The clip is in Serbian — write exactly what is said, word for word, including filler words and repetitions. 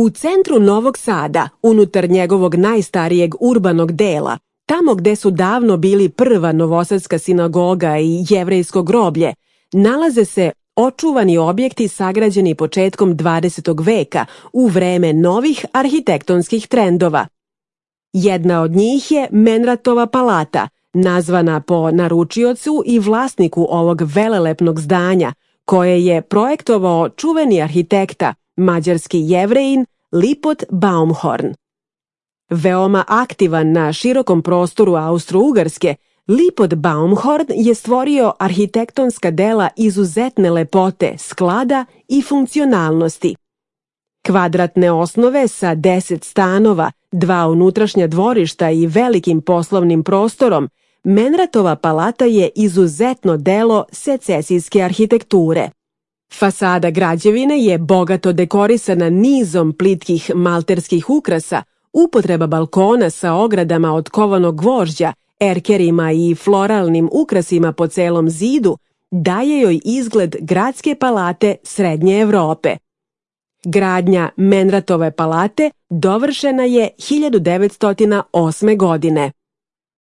U centru Novog Sada, unutar njegovog najstarijeg urbanog dela, tamo gde su davno bili prva novosadska sinagoga i jevrejsko groblje, nalaze se očuvani objekti sagrađeni početkom dvadesetog veka u vreme novih arhitektonskih trendova. Jedna od njih je Menratova palata, nazvana po naručiocu i vlasniku ovog velelepnog zdanja, koje je projektovao čuveni arhitekta, mađarski Jevrejin Lipot Baumhorn. Veoma aktivan na širokom prostoru Austro-Ugarske, Lipot Baumhorn je stvorio arhitektonska dela izuzetne lepote, sklada i funkcionalnosti. Kvadratne osnove sa deset stanova, dva unutrašnja dvorišta i velikim poslovnim prostorom, Menratova palata je izuzetno delo secesijske arhitekture. Fasada građevine je bogato dekorisana nizom plitkih malterskih ukrasa, upotreba balkona sa ogradama od kovanog gvožđa, erkerima i floralnim ukrasima po celom zidu daje joj izgled gradske palate Srednje Evrope. Gradnja Menratove palate dovršena je hiljadu devetsto osme. godine.